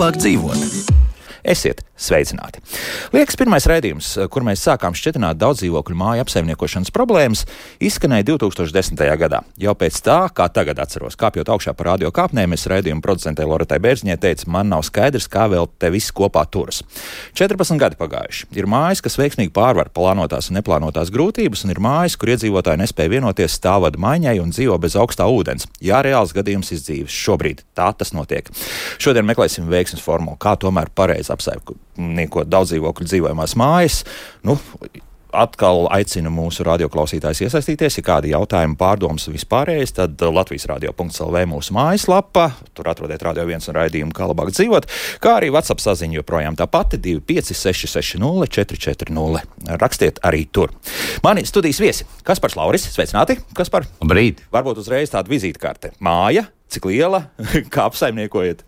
labāk dzīvot. Esiet sveicināti! Liekas, pirmais raidījums, kur mēs sākām šķietināt daudzdzīvokļu māju apsaimniekošanas problēmas, izskanēja 2010. gadā. Jau pēc tā, kā tagad atceros, kāpjot augšā par radio kāpnēm, es raidījuma producentei Loretai Bērziņai teicu, man nav skaidrs, kā vēl te viss kopā turas. 14 gadi pagājuši. Ir mājas, kas veiksmīgi pārvar plānotās un neplānotās grūtības, un ir mājas, kur iedzīvotāji nespēja vienoties stāvvadu maiņai un dzīvo bez augstā ūdens. Jā, reāls gadījums izdzīves. Šobrīd tā tas notiek. Šodien meklēsim veiksmes formulu, kā tomēr pareizi apsaimniekot daudzdzīvokļu dzīvojamās mājas. Atkal aicinu mūsu radioklausītājus iesaistīties, ja kādi jautājumi, pārdomas vispārējais, tad Latvijas radio.lv mūsu mājaslapa, tur atrodiet Radio 1 un raidījumu Kā labāk dzīvot, kā arī WhatsApp saziņa joprojām tā pati 25660 440. Rakstiet arī tur. Mani studijas viesi Kaspars Lauris, sveicināti, Kaspar. Brīd. Varbūt uzreiz tāda vizītkarte. Māja, cik liela, kā apsaimniekojat?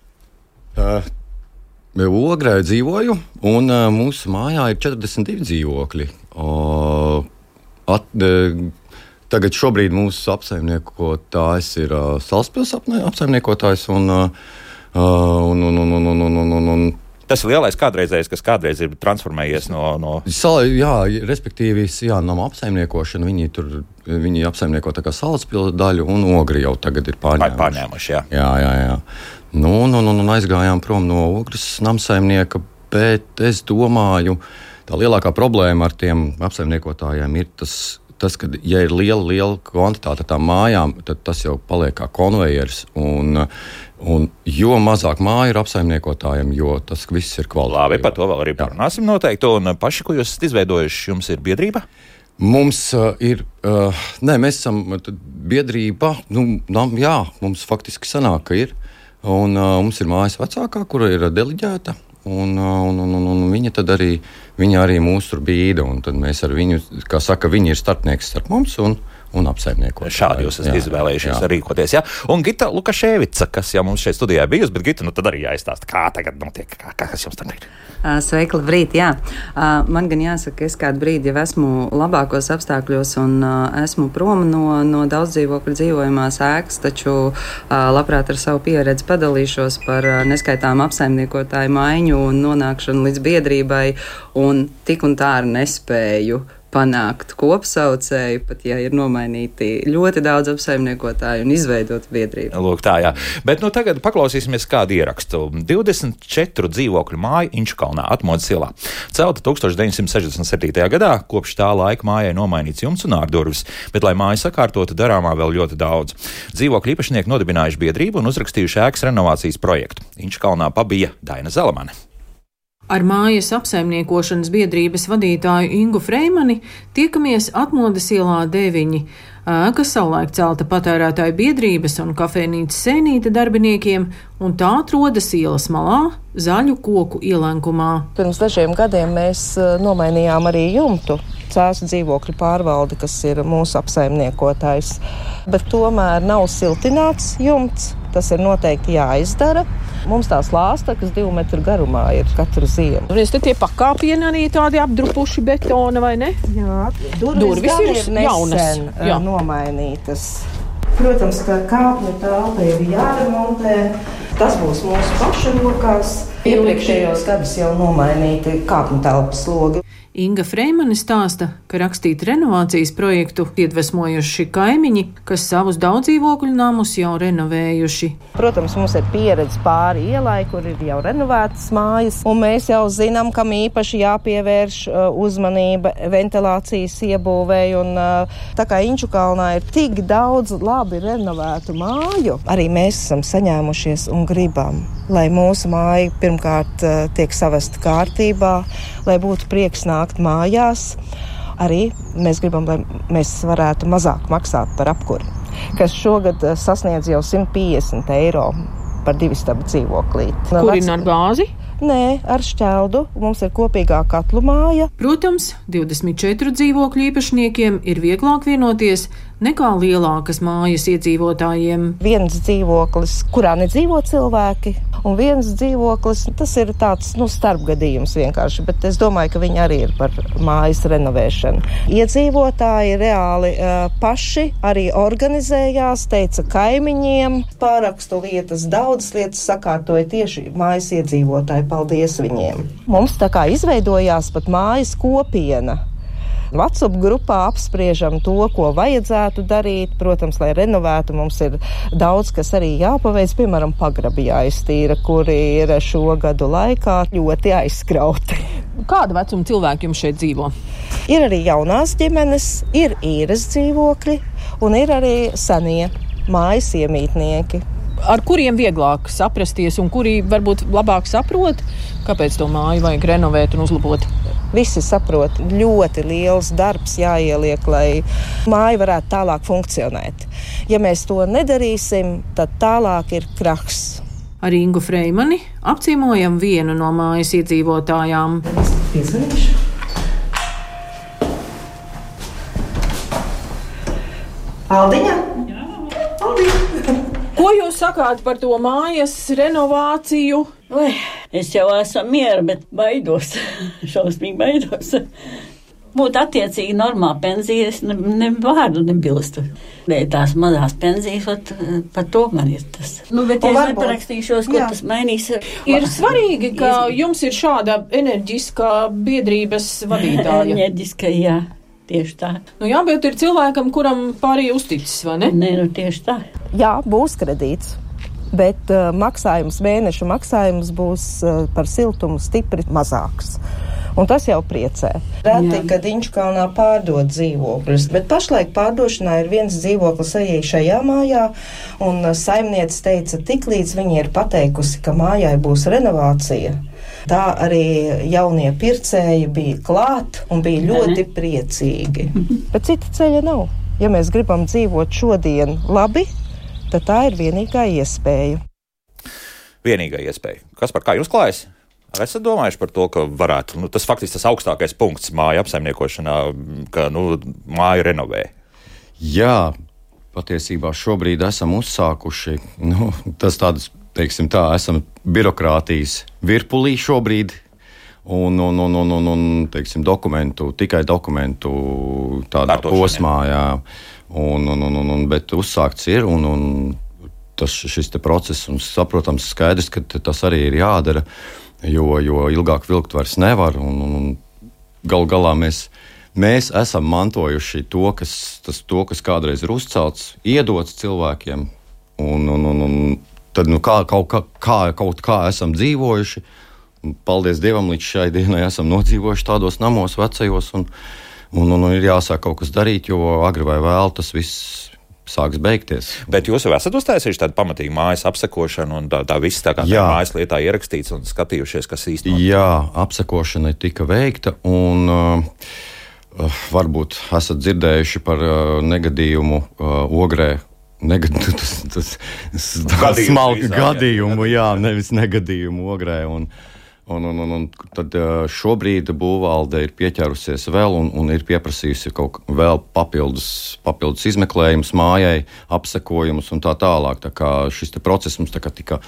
Ogrē dzīvoju, un mūsu mājā ir 42 dzīvokļi. Tagad šobrīd mūsu apsaimniekotājs ir Salaspils apsaimniekotājs, un Tas ir lielais kādreizējais, kas kādreiz ir transformējies no... Jā, respektīvi, nama apsaimniekošana, viņi apsaimnieko tā kā Salaspils daļu, un Ogri jau tagad ir pārņēmuši. Jā. Un aizgājām prom no Ogres namsaimnieka, bet es domāju, tā lielākā problēma ar tiem apsaimniekotājiem ir tas, ka, ja ir liela kvantitāte tām mājām, tad tas jau paliek kā konvejers, un jo mazāk māju ir apsaimniekotājiem, jo tas viss ir kvalitāte. Labi, par to vēl arī parunāsim noteikti, un paši, ko jūs esat izveidojuši, jums ir biedrība? Mums ir, mēs esam biedrība, mums faktiski sanāk, ka ir. Un mums ir mājas vecākā, kura ir deliģēta, un viņa tad arī, mūs tur bīda, un tad mēs ar viņu, kā saka, viņi ir starpnieks starp mums un apsaimniekot. Šādi jūs esat izvēlējušies rīkoties, jā. Un Gita Lukaševica, kas jau mums šeit studijā bijusi, bet Gita, tad arī jāizstāsta, kā tagad notiek, kas jums tam ir? Sveiki, labrīt, jā. Man gan jāsaka, es kādu brīdi jau esmu labākos apstākļos un esmu prom no daudzdzīvokļu dzīvojamās ēkas, taču labprāt ar savu pieredzi padalīšos par neskaitām apsaimniekotāju maiņu un nonākšanu līdz biedrībai, un tik un tā ar nespēju panākt kopsaucēju, pat ja ir nomainīti ļoti daudz apsaimniekotāju un izveidot biedrību. Lūk, tā, jā. Bet tagad paklausīsimies kādu ierakstu. 24 dzīvokļu māju Inčukalnā, Atmodas ielā. Celta 1967. gadā, kopš tā laika mājai nomainīts jumts un ārdurvis, bet, lai māju sakārtotu, darāmā vēl ļoti daudz. Dzīvokļu īpašnieki nodibinājuši biedrību un uzrakstījuši ēkas renovācijas projektu. Inčukalnā pabija Daina Zelemane. Ar mājas apsaimniekošanas biedrības vadītāju Ingu Freimani tiekamies Atmodas ielā 9. Ēka savulaik celta patērētāju biedrības un kafejnīcas Sēnīte darbiniekiem, un tā atrodas ielas malā, zaļu koku ielenkumā. Pirms dažiem gadiem mēs nomainījām arī jumtu. Cēsu dzīvokļu pārvalde, kas ir mūsu apsaimniekotājs, bet tomēr nav siltināts jumts. Tas ir noteikti jāizdara. Mums tās lāsta, kas 2 metru garumā ir katru ziemu. Un te tie pakāpieni arī tādi apdrupuši betona, vai ne? Jā, durvis ir nesen nomainītas. Protams, ka kāpņu telpa ir jāremontē. Tas būs mūsu pašu rokās. Iepriekšējos gadus jau nomainīti kāpņu telpas logi. Inga Freimane stāsta, ka rakstīt renovācijas projektu iedvesmojuši kaimiņi, kas savus daudzdzīvokļu namus jau renovējuši. Protams, mums ir pieredze pāri ielai, kur ir jau renovētas mājas, un mēs jau zinām, kam īpaši jāpievērš uzmanība ventilācijas iebūvēja, un tā kā Inčukalnā ir tik daudz labi renovētu māju, arī mēs esam saņēmušies un gribam, lai mūsu māja pirmkārt tiek savesta kārtībā, lai būtu prieks nākt mājās. Arī mēs gribam, lai mēs varētu mazāk maksāt par apkuri, kas šogad sasniedz jau 150 eiro par 2 stabu dzīvoklīti. Kurina ar gāzi? Nē, ar šķeldu. Mums ir kopīgā katlu māja. Protams, 24 dzīvokļu īpašniekiem ir vieglāk vienoties nekā lielākas mājas iedzīvotājiem. Viens dzīvoklis, kurā nedzīvo cilvēki, un viens dzīvoklis, tas ir tāds, starpgadījums vienkārši, bet es domāju, ka viņi arī ir par mājas renovēšanu. Iedzīvotāji reāli paši arī organizējās, teica kaimiņiem, pārakstu lietas, daudzas lietas sakārtoja tieši mājas iedzīvotāji, paldies viņiem. Mums tā kā izveidojās pat mājas kopiena. WhatsApp grupā apspriežam to, ko vajadzētu darīt. Protams, lai renovētu, mums ir daudz, kas arī jāpaveic, piemēram, pagrabi jāiztīra, kuri ir šo gadu laikā ļoti aizskrauti. Kāda vecuma cilvēki jums šeit dzīvo? Ir arī jaunās ģimenes, ir īres dzīvokļi un ir arī senie mājas iemītnieki. Ar kuriem vieglāk saprasties un kuri varbūt labāk saprot, kāpēc to māju vajag renovēt un uzlabot? Visi saprot, ļoti liels darbs jāieliek, lai māja varētu tālāk funkcionēt. Ja mēs to nedarīsim, tad tālāk ir krahs. Ar Ingu Freimani apciemojam vienu no mājas iedzīvotājām. Piezvanīšu. Aldiņa? Jā. Aldiņa. Ko jūs sakāt par to mājas renovāciju? Es jau esmu miera, bet baidos. Šausmīgi baidos. Būtu attiecīgi normāla pensija, es ne vārdu nebilstu. Tās mazās pensijas, par to man ir tas. Bet es neparakstīšos, ko tas mainīs. Ir svarīgi, ka jums ir šāda enerģiskā biedrības vadītāja. Enerģiska, jā. Tieši tā. Jā, bet ir cilvēkam, kuram pārējie uzticis, vai ne? Nē, tieši tā. Jā, būs kredīts, bet mēneša maksājums būs par siltumu stipri mazāks. Un tas jau priecē. Reti, kad Inčukalnā pārdod dzīvokļus, bet pašlaik pārdošanā ir viens dzīvoklis arī šajā mājā, un saimniece teica, tiklīdz viņi ir pateikusi, ka mājai būs renovācija, tā arī jaunie pircēji bija klāt un bija ļoti priecīgi. Bet cita ceļa nav. Ja mēs gribam dzīvot šodien labi, tad tā ir vienīgā iespēja. Vienīgā iespēja. Kas par kā jūs klājas? Esat domājuši par to, ka varētu, tas faktiski tas augstākais punkts māju apsaimniekošanā, ka, māju renovē? Jā, patiesībā šobrīd esam uzsākuši, tas tādas, teiksim tā, esam birokrātijas virpulī šobrīd, un teiksim, tikai dokumentu tādā posmā, jā, bet uzsākts ir, un šis te process, un saprotams skaidrs, ka tas arī ir jādara, jo ilgāk vilkt vairs nevar, un galu galā mēs esam mantojuši to, kas kādreiz ir uzcelts, iedots cilvēkiem, un tad kaut kā esam dzīvojuši. Paldies Dievam, līdz šai dienai esam nodzīvojuši tādos namos vecajos, un ir jāsāk kaut kas darīt, jo agri vai vēl tas viss sāks beigties. Bet jūs jau esat uztaisījuši tādu pamatīgu mājas apsekošanu, un tā viss tā kā tā mājas lietā ierakstīts un skatījušies, kas īsti notiek? Jā, apsekošana tika veikta, un varbūt esat dzirdējuši par negadījumu Ogrē. Tas smalki gadījumu, jā, nevis negadījumu Ogrē. Un tad šobrīd būvvalde ir pieķērusies vēl un ir pieprasījusi vēl papildus izmeklējumus mājai, apsekojumus un tā tālāk. Tā kā šis process mums tika,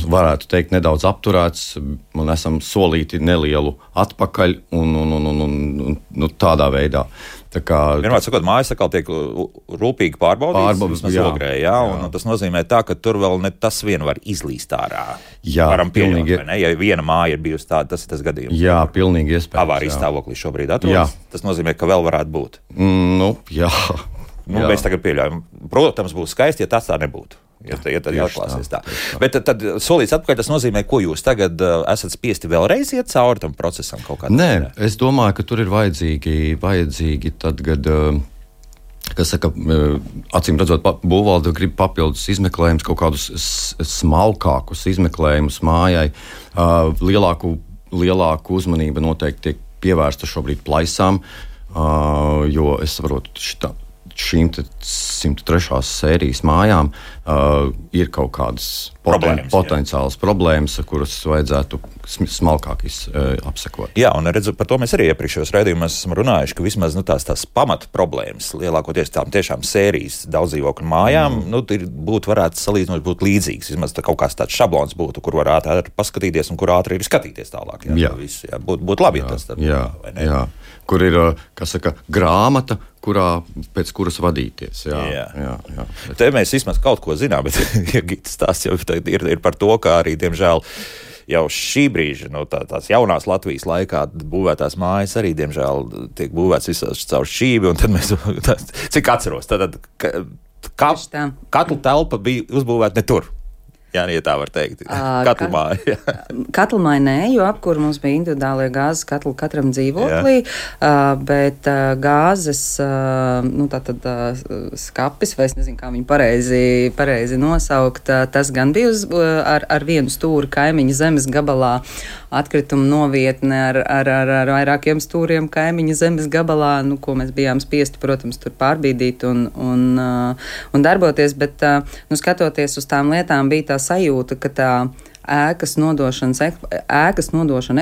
varētu teikt, nedaudz apturēts, un esam solīti nelielu atpakaļ un tādā veidā. Vienmēr sakot, mājas atkal tiek rūpīgi pārbaudīts, Ogrē, jā, un tas nozīmē tā, ka tur vēl ne tas vien var izlīst ārā. Jā, varam pieļaut, vai ne? Ja viena māja ir bijusi tāda, tas ir tas gadījums. Jā, pilnīgi iespējams. Avārijas stāvoklī šobrīd atrodas. Tas nozīmē, ka vēl varētu būt. Jā. Mēs tagad pieļaujam. Protams, būs skaisti, ja tas tā nebūtu. Ja tad atklāsies tā. Bet tad solīts atpakaļ, tas nozīmē, ko jūs tagad esat spiesti vēlreiz iet cauri tam procesam kaut kādā? Nē, es domāju, ka tur ir vajadzīgi tad, kad, kas saka, acīm redzot, būvvalde grib papildus izmeklējumus, kaut kādus smalkākus izmeklējumus mājai. Lielāku uzmanību noteikti tiek pievērsta šobrīd plaisām, jo es saprotu, šīm 103. sērijas mājām ir kaut kādas potenciālas problēmas, kuras vajadzētu smalkāk apsekot. Jā, un redzu, par to mēs arī iepriekšējos raidījumos esam runājuši, ka vismaz tās pamata problēmas, lielākoties tām tiešām sērijas daudzdzīvokļu mājām, varētu salīdzinot būt līdzīgas. Vismaz kaut kāds tāds šablons būtu, kur var ātri paskatīties un kur ātri ir skatīties tālāk. Būtu labi, ja tas tad vai ne? Jā. Kur ir, grāmata, pēc kuras vadīties. Jā. Te mēs vismaz kaut ko zinām, bet Gitas stāsts jau ir par to, ka arī, diemžēl, jau šī brīža, tās jaunās Latvijas laikā būvētās mājas arī, diemžēl, tiek būvēts visās caur šķīvi, un tad mēs, cik atceros, tad katla telpa bija uzbūvēta ne tur. Jā, ja tā var teikt. Katlmāja. Katlmāja nē, jo apkur mums bija individuālie gāzes katli katram dzīvoklī, bet gāzes, tātad skapis, vai es nezinu, kā viņu pareizi nosaukt, tas gan bija ar vienu stūri kaimiņa zemes gabalā, atkrituma novietne ar vairākiem stūriem kaimiņa zemes gabalā, ko mēs bijām spiesti, protams, tur pārbīdīt un darboties, bet, skatoties uz tām lietām, bija tā sajūta, ka tā ēkas nodošana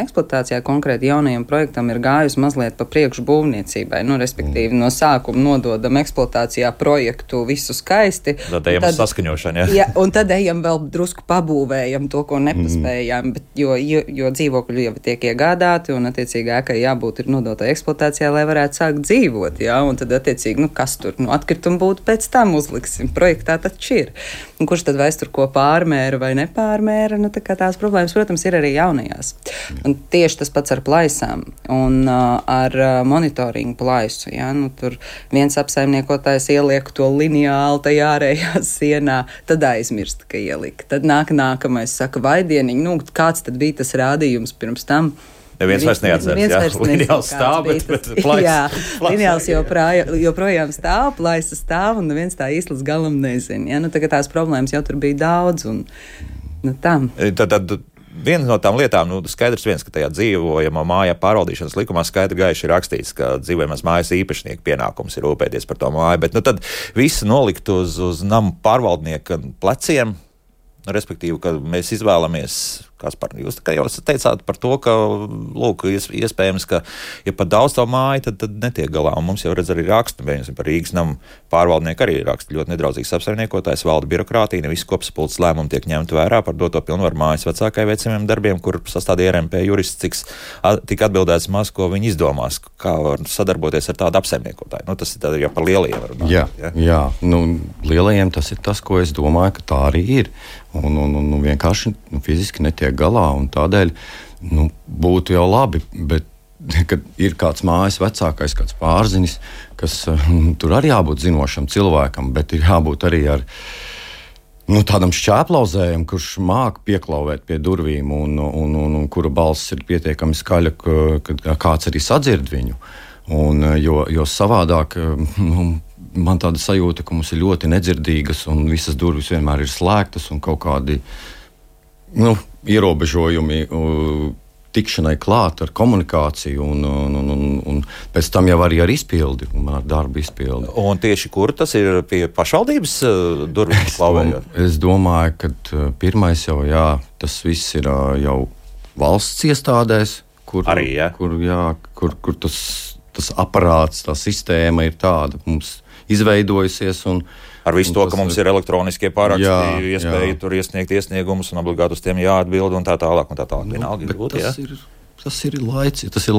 eksploatācijā konkrēti jaunajam projektam ir gājusi mazliet pa priekšu būvniecībai. Respektīvi, no sākuma nododam eksploatācijā projektu visu skaisti. Tad ejam uz saskaņošanu, jā, un tad ejam vēl drusku pabūvējam to, ko nepaspējām, bet, jo dzīvokļi jau tiek iegādāti, un attiecīgi ēkai jābūt ir nodotai eksploatācijā, lai varētu sākt dzīvot, jā, un tad attiecīgi, kas tur, atkritumi būtu pēc tam uzliksim. Projektā taču ir. Un kurš tad vairs tur ko pārmēra vai nepārmēra, tā kā tās problēmas, protams, ir arī jaunajās. Un tieši tas pats ar plaisām un ar monitoringu plaisu. Ja? Tur viens apsaimniekotājs ieliek to lineāli tajā ārējā sienā, tad aizmirst, ka ielika. Tad nākamais saka, vai dieniņ, kāds tad bija tas rādījums pirms tam? Neviens vairs neatceras, lineāls stāv, bet plaisa. Jā, lineāls joprojām stāv, plaisa stāv, un neviens tā īsti līdz galam nezina. Ja? Tagad tās problēmas jau tur bija daudz, un Tad viena no tām lietām, skaidrs viens, ka tajā dzīvojamā mājā pārvaldīšanas likumā skaidri gaiši ir rakstīts, ka dzīvojamās mājas īpašnieka pienākums ir rūpēties par to māju, bet tad visu nolikt uz namu pārvaldnieka pleciem, respektīvi, ka mēs izvēlamies, Kaspar, jūs jau teicāt par to, ka, lūk, iespējams, ka, ja pat daudz to māju, tad netiek galā, un mums jau redz arī rakstu, par Rīgas namu pārvaldnieku arī raksta ļoti nedraudzīgs apsaimniekotājs, valda birokrātija, ne visi kopsapulces lēmumi tiek ņemti vērā par doto pilnvaru mājas vecākai veicamiem darbiem, kur sastādīja RMP jurists, tik atbildēts maz, ko viņi izdomās, kā var sadarboties ar tādu apsaimniekotāju. Tas ir jau par lielajiem runāt. Jā. Lielajiem tas ir tas, ko es domāju, ka tā arī ir. Un vienkārši fiziski netiek galā, un tādēļ būtu jau labi, bet kad ir kāds mājas vecākais, kāds pārzinis, kas tur arī jābūt zinošam cilvēkam, bet ir jābūt arī ar tādam šķēplauzējam, kurš māk pieklauvēt pie durvīm un kura balss ir pietiekami skaļa, ka kāds arī sadzird viņu. Jo savādāk man tāda sajūta, ka mums ir ļoti nedzirdīgas un visas durvis vienmēr ir slēgtas un kaut kādi ierobežojumi tikšanai klāt ar komunikāciju un pēc tam jau arī ar izpildi, ar darbu izpildi. Un tieši kur tas ir pie pašvaldības durvīm klauvējot? Es domāju, ka pirmais jau, tas viss ir jau valsts iestādēs, kur tas aparāts, tā sistēma ir tāda mums izveidojusies. Ar visu to, ka mums ir elektroniskie pāraksti, iespēja tur iesniegt iesniegumus un obligāti uz tiem jāatbild un tā tālāk. Tas ir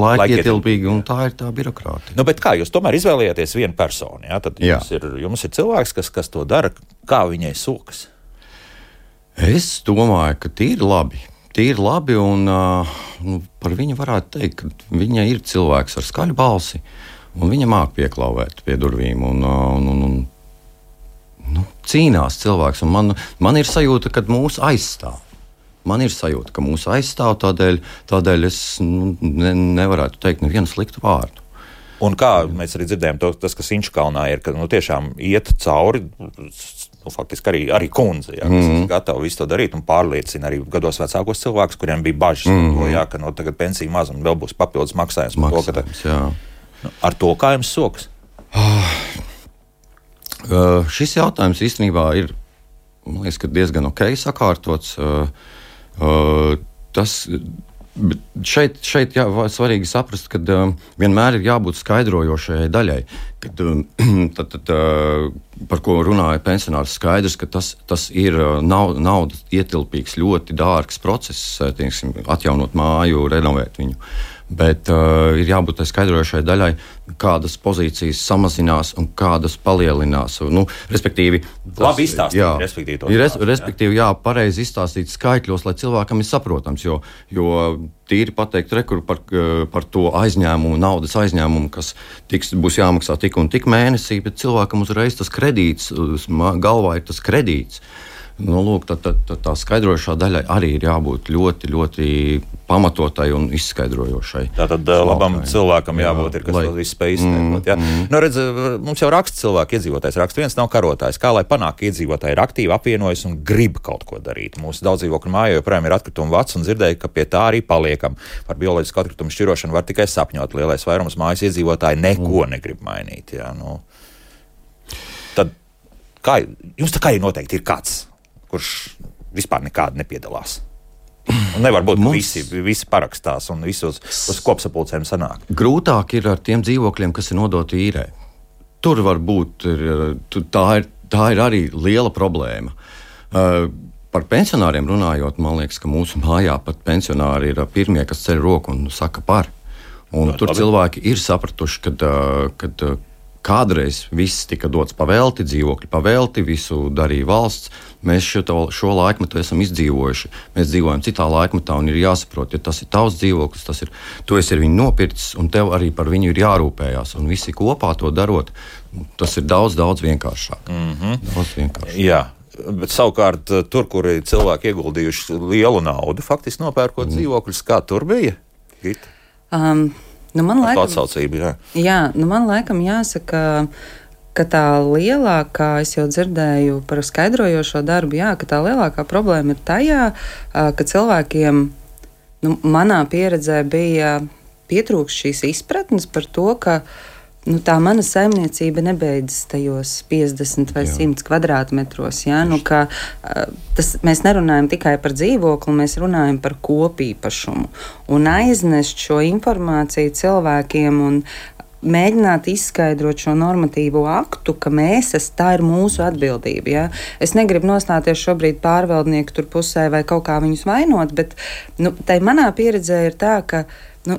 laikietilpīgi un tā ir tā birokrātija. Bet kā jūs tomēr izvēlējāties vienu personu? Ja? Tad jums ir cilvēks, kas to dara, kā viņai sokas? Es domāju, ka tīri labi un par viņu varētu teikt, ka viņa ir cilvēks ar skaļu balsi. Un viņa māk pieklauvēt pie durvīm un cīnās cilvēks. Un man ir sajūta, ka mūs aizstāv. Tādēļ es nevarētu teikt nevienu sliktu vārdu. Un kā mēs arī dzirdējām, tas, kas Inčukalnā ir, ka tiešām iet cauri, faktiski arī kundze, kas ir gatava visu to darīt un pārliecina arī gados vecākos cilvēkus, kuriem bija bažas par to, ka tagad pensija maz un vēl būs papildus maksājums. Ar to kā jums sokas? Šis jautājums īstenībā ir, man liekas, diezgan ok sakārtots. Šeit svarīgi saprast, ka vienmēr ir jābūt skaidrojošajai daļai. Par ko runāja pensionārs, skaidrs, ka tas ir naudas ietilpīgs, ļoti dārgs process, atjaunot māju, renovēt viņu. Bet ir jābūt tai skaidrojošai daļai, kādas pozīcijas samazinās un kādas palielinās. Respektīvi, labi izstāstīt, respektīvi, pareizi izstāstīt skaitļos, lai cilvēkam ir saprotams, jo tīri pateikt par to aizņēmumu, naudas aizņēmumu, kas būs jāmaksā tik un tik mēnesī, bet cilvēkam uzreiz tas kredīts, galvā ir tas kredīts. Lūk, tā skaidrojošā daļai arī ir jābūt ļoti, ļoti pamatotai un izskaidrojošai. Tātad labam cilvēkam jābūt, kas to visu spēj izskaidrot. Redz, mums jau raksta cilvēki, iedzīvotājs raksta, viens nav karotājs. Kā lai panāk, ka iedzīvotāji ir aktīvi, apvienojas un grib kaut ko darīt? Mūsu daudzdzīvokļu mājā joprojām ir atkritumu vats un dzirdēju, ka pie tā arī paliekam. Par bioloģisku atkritumu šķirošanu var tikai sapņot. Lielais vairums mājas iedzīvotāji neko negrib mainīt. Tad jums tā kā ir noteikti ir kāds, kurš vispār nekādi nepiedalās. Un nevar būt, ka visi parakstās un visi uz kopsapulcēm sanāk. Grūtāk ir ar tiem dzīvokļiem, kas ir nodoti īrē. Tur var būt, tā ir arī liela problēma. Par pensionāriem runājot, man liekas, ka mūsu mājā pat pensionāri ir pirmie, kas ceļ roku un saka par. Un tur cilvēki ir sapratuši, kad kādreiz viss tika dots pavelti, dzīvokļi pavelti, visu darīja valsts. Mēs šo laikmetu esam izdzīvojuši. Mēs dzīvojam citā laikmetā un ir jāsaprot, ja tas ir tavs dzīvoklis, tu esi ar viņu nopircis un tev arī par viņu ir jārūpējās. Un visi kopā to darot, tas ir daudz, daudz vienkāršāk. Daudz vienkāršāk. Jā. Bet savukārt tur, kur cilvēki ieguldījuši lielu naudu, faktiski nopērkot dzīvokļus, kā tur bija? Man laikam, atsaucība, man laikam jāsaka, ka tā lielākā, es jau dzirdēju par skaidrojošo darbu, ka tā lielākā problēma ir tajā, ka cilvēkiem, manā pieredzē bija pietrūkst šīs izpratnes par to, ka tā mana saimniecība nebeidzas tajos 50 vai 100 kvadrātmetros. Mēs nerunājam tikai par dzīvokli, mēs runājam par kopīpašumu. Un aiznest šo informāciju cilvēkiem un mēģināt izskaidrot šo normatīvo aktu, ka tā ir mūsu atbildība. Es negribu nostāties šobrīd pārvaldnieku tur pusē vai kaut kā viņus vainot, bet tai manā pieredzē ir tā, ka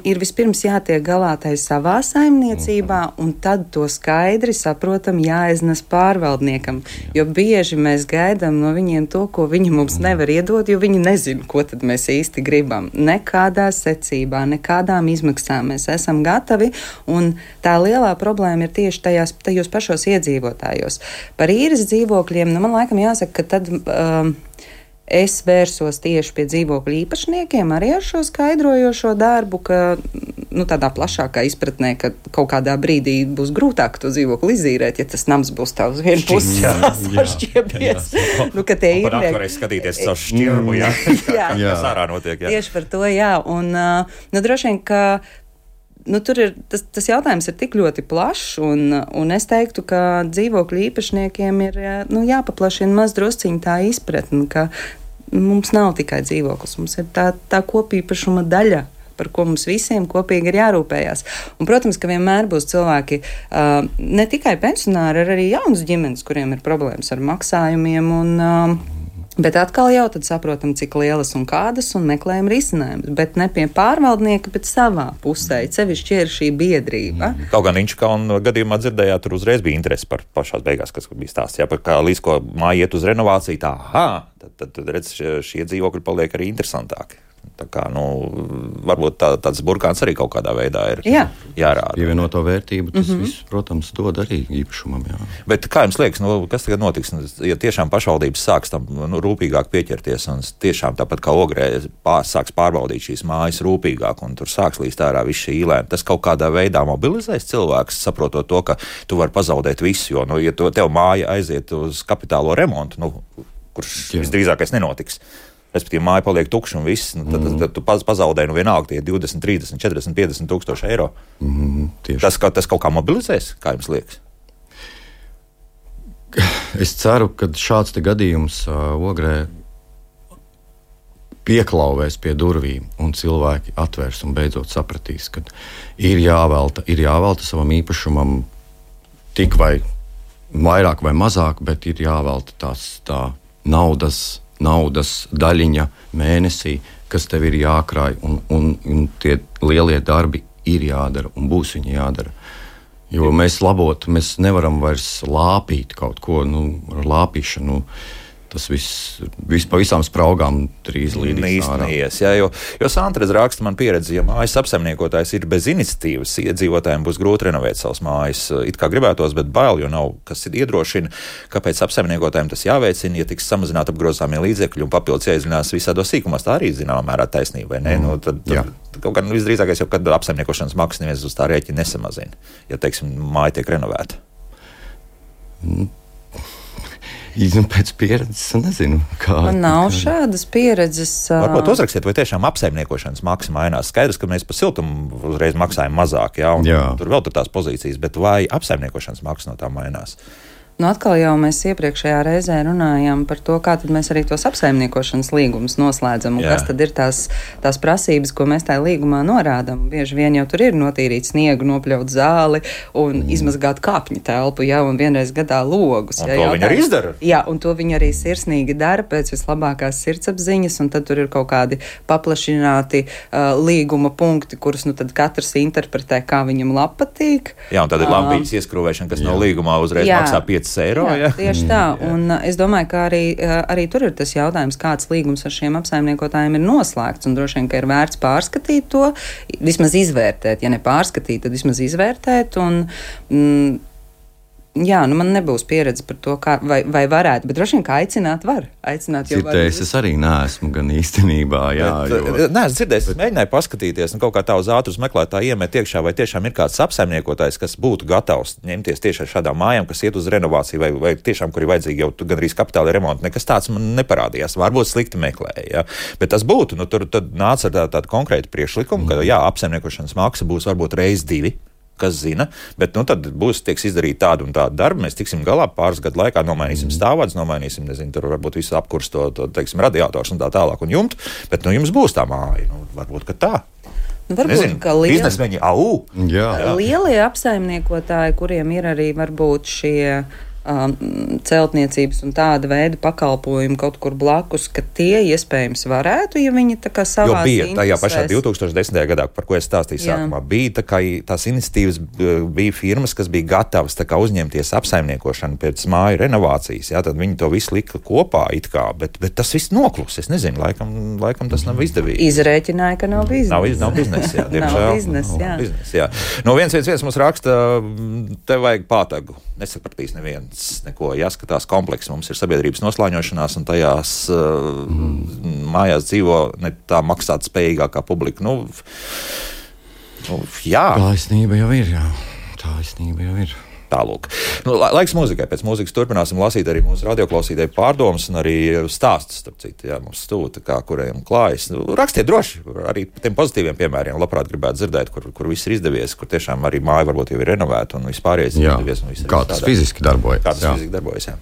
ir vispirms jātiek galā tai savā saimniecībā, un tad to skaidri saprotam jāiznes pārvaldniekam. Jo bieži mēs gaidām no viņiem to, ko viņi mums nevar iedot, jo viņi nezina, ko tad mēs īsti gribam. Nekādā secībā, nekādām izmaksām mēs esam gatavi, un tā lielā problēma ir tieši tajos pašos iedzīvotājos. Par īres dzīvokļiem, man laikam jāsaka, ka tad es vērsos tieši pie dzīvokļu īpašniekiem arī ar šo skaidrojošo darbu, ka tādā plašākā izpratnē, ka kaut kādā brīdī būs grūtāk to dzīvokli izīrēt, ja tas nams būs tā uz vienu pusi sašķiebies. Ka tie ir varēs skatīties caur šķirbu, kas ārā notiek. Tieši par to, un droši vien, ka tur ir, tas jautājums ir tik ļoti plašs, un es teiktu, ka dzīvokļu īpašniekiem ir jāpaplašina maz drusciņ tā izpratne, ka mums nav tikai dzīvoklis, mums ir tā kopīpašuma daļa, par ko mums visiem kopīgi ir jārūpējās. Un, protams, ka vienmēr būs cilvēki, ne tikai pensionāri, arī jaunas ģimenes, kuriem ir problēmas ar maksājumiem, bet atkal jau tad saprotam, cik lielas un kādas, un meklējam risinājumus. Bet ne pie pārvaldnieka, bet savā pusē. Sevišķi ir šī biedrība. Kaut gan Inčukalna gadījumā dzirdējāt, tur uzreiz bija interesi par pašās beigās, kas bija stāsts. Par kā līdz ko māja iet uz renovāciju, tad redz, šie dzīvokļi paliek arī interesantāki. Tā kā, varbūt tāds burkāns arī kaut kādā veidā ir jārāda. Pievienoto vērtību tas viss, protams, dod arī īpašumam. Bet kā jums liekas, kas tagad notiks? Ja tiešām pašvaldības sāks tam rūpīgāk pieķerties un tiešām tāpat kā Ogrē sāks pārbaudīt šīs mājas rūpīgāk un tur sāks līst ārā viss šī īlēna, tas kaut kādā veidā mobilizēs cilvēks, saprotot to, ka tu vari pazaudēt visu, jo, ja tev māja aiziet uz kapitālo remontu, kurš visdrīzākais nenotiks. Respektīvi, māja paliek tukša un viss, tad tu pazaudēji vienalga tie 20, 30, 40, 50 tūkstoši eiro. Tas kaut kā mobilizēs, kā jums liekas? Es ceru, ka šāds gadījums Ogrē pieklauvēs pie durvīm, un cilvēki atvērs un beidzot sapratīs, ka ir jāvelta savam īpašumam tik vai vairāk vai mazāk, bet ir jāvelta tā naudas daļiņa mēnesī, kas tev ir jākrāj, un tie lielie darbi ir jādara, un būs viņi jādara. Jo mēs nevaram vairs lāpīt kaut ko, ar lāpīšanu. Tas viss pa visām spraugām drīz līdīs ārā. Jo Sandra raksta man pieredzi, ja mājas apsaimniekotājs ir bez iniciatīvas, iedzīvotājiem būs grūti renovēt savas mājas. It kā gribētos, bet bail, jo nav, kas iedrošina, kāpēc apsaimniekotājiem tas jāveicina, ja tiks samazināt apgrozāmie līdzekļi un papildus jāizzinās visādos sīkumos. Tā arī zināmā mērā taisnība, vai ne? Tad kaut gan visdrīzākais jau, kad apsaimniekošanas maksas neviens uz tā rēķina nesamazina, ja, teiksim, māja tiek renovēta. Pēc pieredzes, nezinu, kā. Man nav šādas pieredzes. Varbūt uzrakstiet, vai tiešām apsaimniekošanas maksa mainās. Skaidrs, ka mēs par siltumu uzreiz maksājam mazāk, tur vēl tur tās pozīcijas, bet vai apsaimniekošanas maksa no tā mainās? Atkal jau mēs iepriekšējā reizē runājām par to, kā tad mēs arī tos apsaimniekošanas līgumus noslēdzam, un kas tad ir tās prasības, ko mēs tajā līgumā norādām. Bieži vien jau tur ir notīrīt sniegu, nopļaut zāli un izmazgāt kāpņu telpu, un vienreiz gadā logus. Un to viņi arī izdara. Jā, un to viņi arī sirsnīgi dara pēc vislabākās sirdsapziņas, un tad tur ir kaut kādi paplašināti līguma punkti, kurus tad katrs interpretē, kā viņam patīk. Jā, un tad ir lampiņas ieskrūvēšana, kas no līgumā uzreiz maksā 5 eiro. Jā, tieši tā. Un es domāju, ka arī tur ir tas jautājums, kāds līgums ar šiem apsaimniekotājiem ir noslēgts. Un droši vien, ka ir vērts pārskatīt to, vismaz izvērtēt. Ja ne pārskatīt, tad vismaz izvērtēt. Man nebūs pieredze par to, kā, vai varētu, bet droši vien, kā aicināt var. Dzirdējis, es arī neesmu gan īstenībā. Neesmu dzirdējis, es mēģināju paskatīties, kaut kā tā uz ātrus meklētāju iemet iekšā, vai tiešām ir kāds apsaimniekotājs, kas būtu gatavs ņemties tieši ar šādām mājām, kas iet uz renovāciju, vai tiešām, kur ir vajadzīgi jau gandrīz kapitāla remonti. Nekas tāds man neparādījās, varbūt slikti meklēja. Ja? Bet tas būtu, tur tad nāca ar tādu konkrētu priekšlikumu, ka apsaimniekošanas maksa būs varbūt reiz 2. Kas zina, bet tad tiks izdarīt tādu un tādu darbu. Mēs tiksim galā pāris gadu laikā, nomainīsim stāvvadus, nomainīsim, tur varbūt visu apkurst teiksim, radiators un tā tālāk un jumtu, bet jums būs tā māja. Varbūt, ka tā. Varbūt, ka biznesmeņi, lielie apsaimniekotāji, kuriem ir arī varbūt šie celtniecības un tāda veida pakalpojumi kaut kur blakus, ka tie iespējams varētu, ja viņi tā kā savās interesēs. Jo bija tajā pašā 2010. gadā, par ko es stāstīju sākumā, bija tā kā tās iniciatīvas, bija firmas, kas bija gatavas tā kā uzņemties apsaimniekošanu pēc māju renovācijas, tad viņi to visu lika kopā it kā, bet tas viss noklus, es nezinu, laikam tas nav izdevīgi. Izrēķināja, ka nav biznesa. Nav biznesa, jā, diemžēl. Nav biznesa, jā. No 111 mums raksta, tev vajag pātagu, nesapratīs neviens. Neko jāskatās kompleks. Mums ir sabiedrības noslāņošanās, un tajās mājās dzīvo ne tā maksāt spējīgākā publika. Jā. Taisnība jau ir, jā. Taisnība jau ir. Tālūk. Laiks mūzikai. Pēc mūzikas turpināsim lasīt arī mūsu radioklausītāju pārdomas un arī stāstus, starp citu, mums stūta, kā kuriem klājas. Rakstiet droši, arī tiem pozitīviem piemēriem labprāt gribētu dzirdēt, kur viss ir izdevies, kur tiešām arī māja varbūt jau ir renovēta un vispārējais ir izdevies. Un kā tas fiziski darbojas. Fiziski darbojas, jā.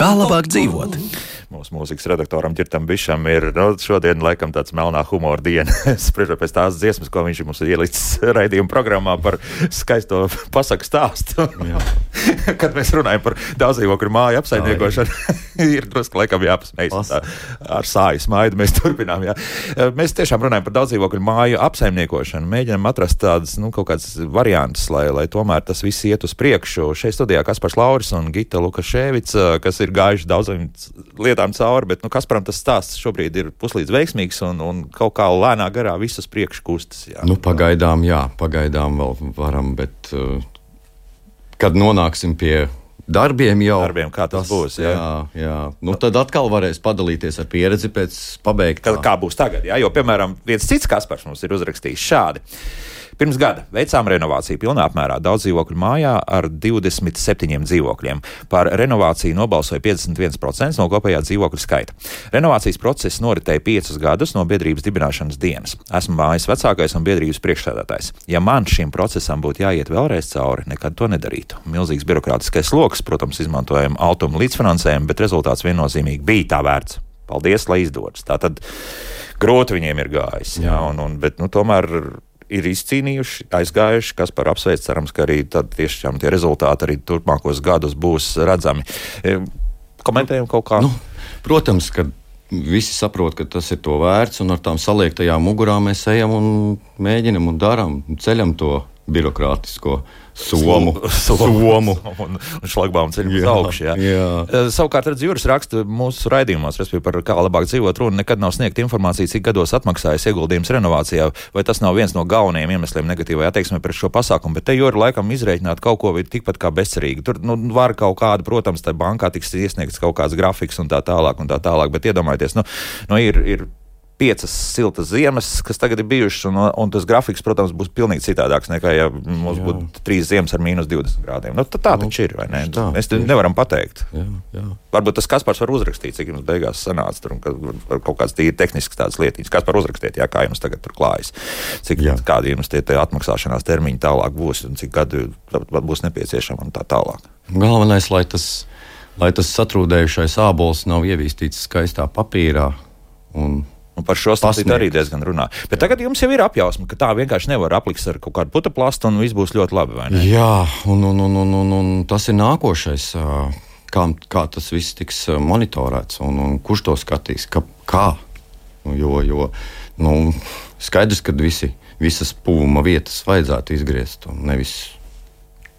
Kā labāk dzīvot? Mūsu mūzikas redaktoram Ģirtam Bišam ir šodien laikam tāds melnā humora diena. Spriežot pēc tās dziesmas, ko viņš mums ir ielicis raidījuma programmā par skaisto pasaku stāstu. Kad mēs runājam par daudzdzīvokļu māju apsaimniekošanu, ir drusku laikam jāpasmējas. Ar sāju smaidu mēs turpinām. Jā. Mēs tiešām runājam par daudzdzīvokļu māju apsaimniekošanu. Mēģinām atrast tādas kaut kādas variantus, lai tomēr tas viss iet uz priekšu. Šeit studijā Kaspars Lauris un Gita Lukaševica, kas ir gājuši daudziem lietām cauri, bet Kasparam tas stāsts šobrīd ir puslīdz veiksmīgs un kaut kā lēnā garā visus priekš kustas. Jā. Pagaidām vēl varam, bet kad nonāksim pie darbiem kā tas būs. Jā. Tad atkal varēs padalīties ar pieredzi pēc pabeigtā. Kā būs tagad, jā? Jo, piemēram, viens cits Kaspars mums ir uzrakstījis šādi. Pirms gada veicām renovāciju pilnā apmērā daudzdzīvokļu mājā ar 27 dzīvokļiem. Par renovāciju nobalsoja 51% no kopējā dzīvokļu skaita. Renovācijas process noritēja 5 gadus no biedrības dibināšanas dienas. Esmu mājas vecākais un biedrības priekšsēdētājs. Ja man šim procesam būtu jāiet vēlreiz cauri, nekad to nedarītu. Milzīgs birokrātiskais sloks, protams, izmantojam automu līdzfinansējumu, bet rezultāts viennozīmīgi bija tā vērts. Paldies, lai izdodas. Tātad grūti viņiem ir gājis, bet tomēr ir izcīnījuši, aizgājuši, kas par apsveic, cerams, ka arī tad tiešām tie rezultāti arī turpmākos gadus būs redzami. Komentējam kaut kā? Protams, ka visi saprot, ka tas ir to vērts, un ar tām saliektajām mugurām mēs ejam un mēģinam un daram, ceļam to birokrātisko somu un šlagbaumu ceļu uz augšu. Savukārt, redz, Juris raksta mūsu raidījumos, respektīvi par kā labāk dzīvot runa, nekad nav sniegta informācija, cik gados atmaksājas ieguldījums renovācijā, vai tas nav viens no galvenajiem iemesliem negatīvai attieksmei pret šo pasākumu, bet te Juri laikam izrēķināt kaut ko tikpat kā bezcerīgi. Tur var kaut kāda, protams, tā bankā tiks iesniegts kaut kāds grafiks un tā tālāk, bet iedomājieties, ir 5 siltas ziemas, kas tagad ir bijušas, un tas grafiks, protams, būs pilnīgi citādāks nekā, ja mums būtu 3 ziemas ar mīnus 20 grādiem. Tā taču ir, vai ne? Mēs nevaram pateikt. Jā. Varbūt tas Kaspars var uzrakstīt, cik jums beigās sanāca tur, un kaut kāds tīri tehnisks tādas lietiņas. Kaspar uzrakstiet, kā jums tagad tur klājas. Kādi jums tie atmaksāšanās termiņi tālāk būs, un cik gadu būs nepieciešama un tā tālāk. Galvenais, lai tas satrūdējušais ābols nav ievīstīts skaistā papīrā un par šo stāstīt arī diezgan runā. Bet tagad jums jau ir apjausma, ka tā vienkārši nevar apliks ar kaut kādu putuplastu un viss būs ļoti labi, vai ne? Jā, un tas ir nākošais, kā tas viss tiks monitorēts un kurš to skatīs, kā. Jo skaidrs, ka visas pūma vietas vajadzētu izgriezt un nevis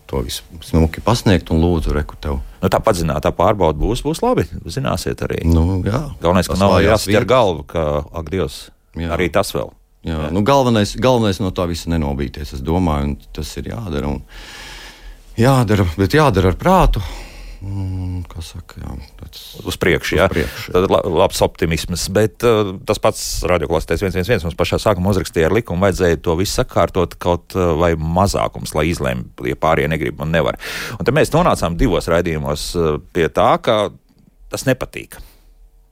to visu smuki pasniegt un lūdzu reku tev. Tā padzinātā pārbauda būs labi, zināsiet arī. Jā. Galvenais, ka nav jāsit ar galvu, ka, ak, Dievs, arī tas vēl. Jā. Galvenais no tā visa nenobīties, es domāju, un tas ir jādara, bet jādara ar prātu. Kā saka, uz priekšu, Tad labs optimisms, bet tas pats radioklausītājs 111 mums pašā sākumā uzrakstīja ar likumu, vajadzēja to visu sakārtot kaut vai mazākums, lai izlēm, ja pārējie negrib un nevar. Un tad mēs nonācām 2 raidījumos pie tā, ka tas nepatīk.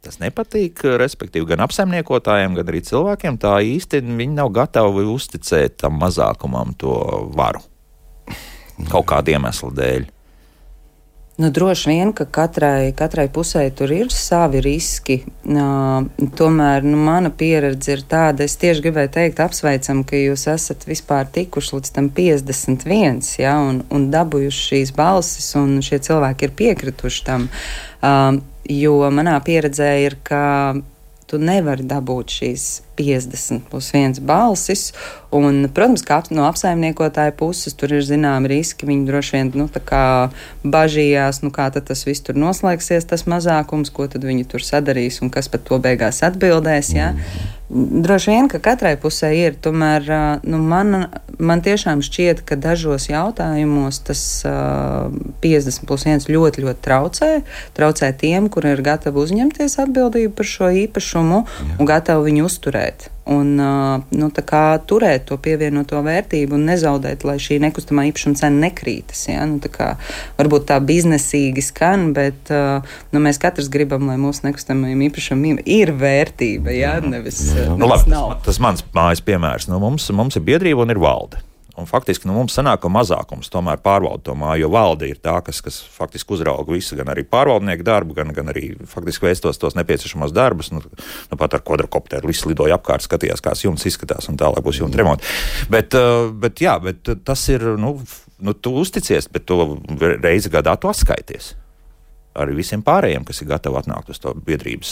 Tas nepatīk, respektīvi, gan apsaimniekotājiem, gan arī cilvēkiem. Tā īsti viņi nav gatavi uzticēt tam mazākumam to varu. Kaut kādu iemeslu dēļ. Droši vien, ka katrai pusē tur ir savi riski. Tomēr mana pieredze ir tāda, es tieši gribēju teikt, apsveicam, ka jūs esat vispār tikuši līdz tam 51, un dabūjuši šīs balsis, un šie cilvēki ir piekrituši tam. Jo manā pieredzē ir, ka tu nevari dabūt šīs 50 plus 1 balsis, un, protams, kā no apsaimniekotāja puses tur ir zināmi riski, viņi droši vien, tā kā bažījās, kā tad tas viss tur noslēgsies, tas mazākums, ko tad viņi tur sadarīs, un kas pat to beigās atbildēs, Droši vien, ka katrai pusē ir, tomēr, man tiešām šķiet, ka dažos jautājumos tas 50 plus 1 ļoti, ļoti traucē tiem, kuri ir gatavi uzņemties atbildību par šo īpašumu un gatavi viņu uzturēt. Un tā kā turēt to pievienoto vērtību un nezaudēt, lai šī nekustamā īpašuma cena nekrītas. Tā kā varbūt tā biznesīgi skan, bet mēs katrs gribam, lai mūsu nekustamajiem īpašumiem ir vērtība, nevis labi, nav. Tas mans mājas piemērs. Mums ir biedrība un ir valde. Un faktiski mums sanāk, ka mazākums tomēr pārvalda to māju, jo valde ir tā, kas faktiski uzrauga visu, gan arī pārvaldnieku darbu, gan arī faktiski veic tos nepieciešamos darbus. Pat ar kvadrokopteru viss lidoja apkārt, skatījās, kā jumts izskatās, un tālāk būs jumta remonti. Bet tas ir, tu uzticies, bet tu reizi gadā tu atskaities. Arī visiem pārējiem, kas ir gatavi atnākt uz to biedrības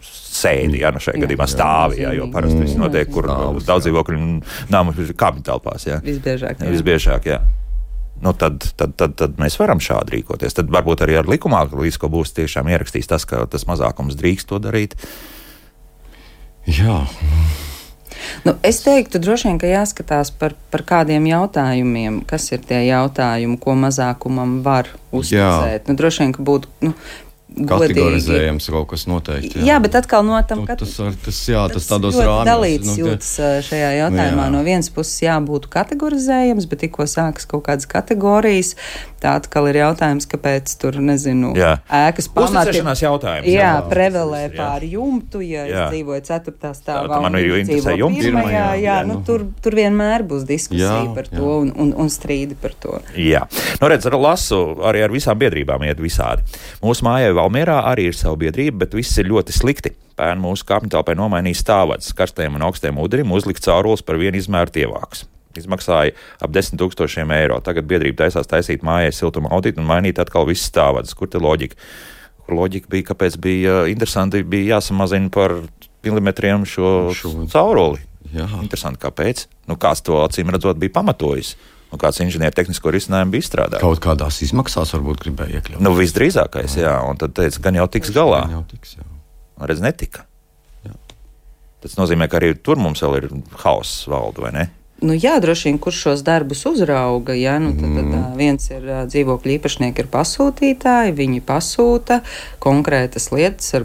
sēdi, šajā gadījumā stāvi, jo parasti viss notiek, kur daudz dzīvokļu nāmu kāpņu telpās. Visbiežāk. Tad mēs varam šādi rīkoties. Tad varbūt arī ar likumā līdz ko būs tiešām ierakstīs tas, ka tas mazākums drīkst to darīt. Jā. Es teiktu, droši vien, ka jāskatās par kādiem jautājumiem, kas ir tie jautājumi, ko mazākumam var uzticēt. Droši vien, ka būtu kategorizējams kaut kas noteikti. Jā, bet atkal no tam, ka tas tādos rāmjos. Dalīts jūtas šajā jautājumā. No vienas puses būtu kategorizējams, bet tikko sākas kaut kādas kategorijas, tā atkal ir jautājums, kāpēc tur, nezinu, ēkas pamati. Uzticēšanās jautājums. Jā, prevelē pāri jumtu, ja es dzīvoju 4. stāvā. Man ir interesē jumts. Tur vienmēr būs diskusija par to un strīdi par to. Jā. Redz, lasu, arī ar visām biedrībām iet visādi. Mūsu mājai Valmierā arī ir sava biedrība, bet viss ir ļoti slikti. Pērn mūsu kāpņtelpai nomainīja stāvvads, karstiem un augstiem ūdenim uzlikt caurules par vienu izmēru tievāks. Izmaksāja ap 10 000 eiro. Tagad biedrība taisīt mājai siltuma auditu un mainīt atkal viss stāvvads. Kur te loģika? Kur loģika bija, kāpēc bija interesanti, bija jāsamazina par milimetriem šo cauruli? Jā. Interesanti, kāpēc? Kāds to acīm redzot bija pamatojis? Kāds inženiertehnisko risinājumu bija izstrādājis? Kaut kādās izmaksās varbūt gribēja iekļaut. Visdrīzākais, jā. Un tad teica, gan jau tiks galā. Redz, netika. Jā. Tas nozīmē, ka arī tur mums vēl ir hauss valdu, vai ne? Jā, droši vien, kurš šos darbus uzrauga, jā, tad viens ir dzīvokļu īpašnieki, ir pasūtītāji, viņi pasūta konkrētas lietas ar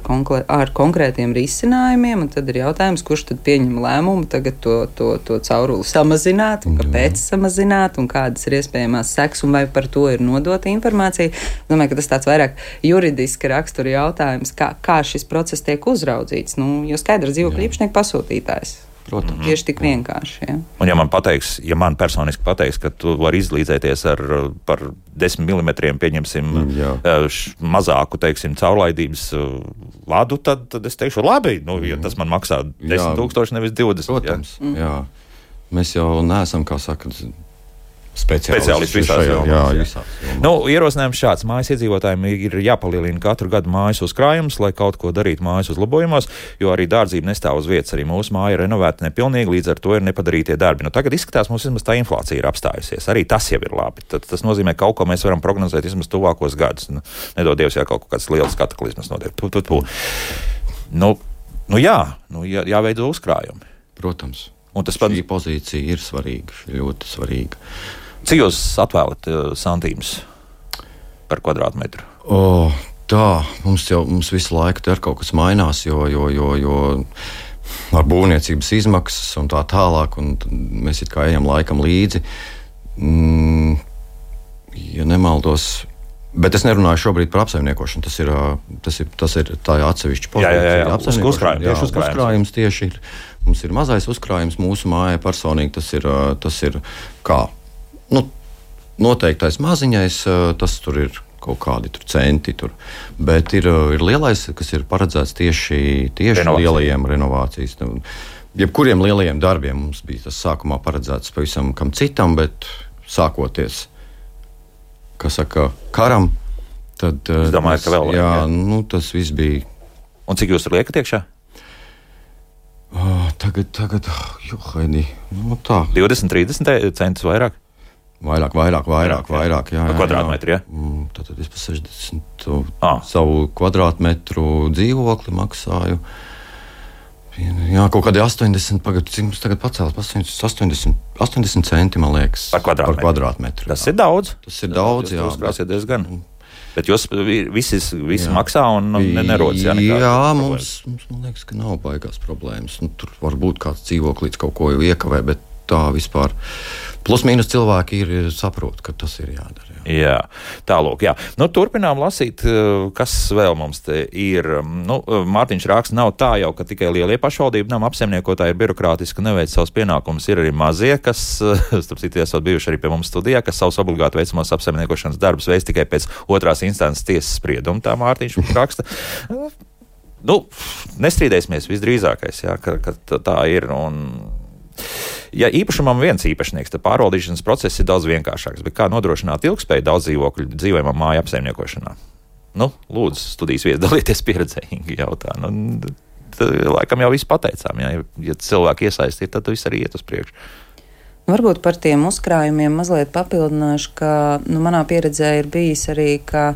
konkrētiem risinājumiem, un tad ir jautājums, kurš tad pieņem lēmumu tagad to cauruli samazināt, un kāpēc samazināt, un kādas ir iespējamās sekas, un vai par to ir nodota informācija. Domāju, ka tas tāds vairāk juridiska rakstura jautājums, kā šis process tiek uzraudzīts, jo skaidrs dzīvokļu īpašnieku pasūtītājs. Protams. Tieši tik vienkārši. Ja. Un ja man personiski pateiks, ka tu vari izlīdzēties par 10 mm, pieņemsim, mazāku, teiksim, caurlaidības vadu, tad es teikšu, labi, ja tas man maksā 10 000, nevis 20. Protams, jā. Mēs jau neesam, kā saka, speciālisti visās jomās. Ierosinājums šāds. Mājas iedzīvotājiem ir jāpalielina katru gadu mājas uzkrājums, lai kaut ko darītu mājas uzlabojumos, jo arī dārdzība nestāv uz vietas. Arī mūsu māja ir renovēta nepilnīgi, līdz ar to ir nepadarītie darbi. Tagad izskatās, mums vismaz tā inflācija ir apstājusies. Arī tas jau ir labi. Tas nozīmē, ka kaut ko mēs varam prognozēt vismaz tuvākos gadus. Nedod Dievs, ja kaut kāds liels kataklizmas notiek. Jāveido uzkrājumi. Protams. Un tas šī pozīcija ir svarīga, ļoti svarīga. Cik jūs atvēlat santīmus par kvadrātmetru? Mums visu laiku ar kaut kas mainās, jo ar būvniecības izmaksas un tā tālāk, un mēs it kā ejam laikam līdzi. Ja nemaldos, bet es nerunāju šobrīd par apsaimniekošanu, tas ir tā atsevišķa pozīcija. Uzkrājums tieši ir. Mums ir mazais uzkrājums mūsu mājai personīgi, tas ir kā noteiktais maziņais, tas tur ir kaut kādi centi, bet ir lielais, kas ir paredzēts tieši lielajiem renovācijas. Jebkuriem lielajiem darbiem mums bija tas sākumā paredzēts pavisam kam citam, bet sākoties, karam, tad es domāju, ka vēl jā, tas viss bija. Un cik jūs tur liekat iekšā? Tagad, Haidi, tā. 20-30 centus vairāk? Vairāk, jā. Kvadrātmetri, jā? Tad es par 60 savu kvadrātmetru dzīvokli maksāju. Jā, kaut kādi 80, cik mums tagad pacēlās, 80 centi, man liekas, par kvadrātmetru. Tas ir daudz. Jā. Jūs krāsiet diezgan. Bet jūs visi maksā un nerodas, jā? Jā, mums, man liekas, ka nav baigās problēmas. Tur varbūt kāds dzīvoklīts kaut ko jau iekavē, bet tā vispār. Plus mīnus cilvēki saprot, ka tas ir jādara. Jā, tālūk, jā. Turpinām lasīt, kas vēl mums te ir. Mārtiņš raksta, nav tā jau, ka tikai lielie pašvaldību nama apsaimniekotāji ir birokrātiski un neveic savus pienākumus. Ir arī mazie, kas, starp citu, esot bijuši arī pie mums studijā, kas savus obligāti veicamos apsaimniekošanas darbus veic tikai pēc otrās instances tiesas sprieduma. Tā Mārtiņš raksta. Nestrīdēsimies visdrīzākais, jā, ka tā ir. Ja īpašumam viens īpašnieks, tad pārvaldīšanas process ir daudz vienkāršāks. Bet kā nodrošināt ilgspēju daudz dzīvokļu dzīvojamā māju apsaimniekošanā? Lūdzu, studijas viesi dalieties pieredzē, Inga jautā. Laikam jau visu pateicām. Ja cilvēki iesaistīti, tad viss arī iet uz priekšu. Varbūt par tiem uzkrājumiem mazliet papildināšu, ka manā pieredzē ir bijis arī, ka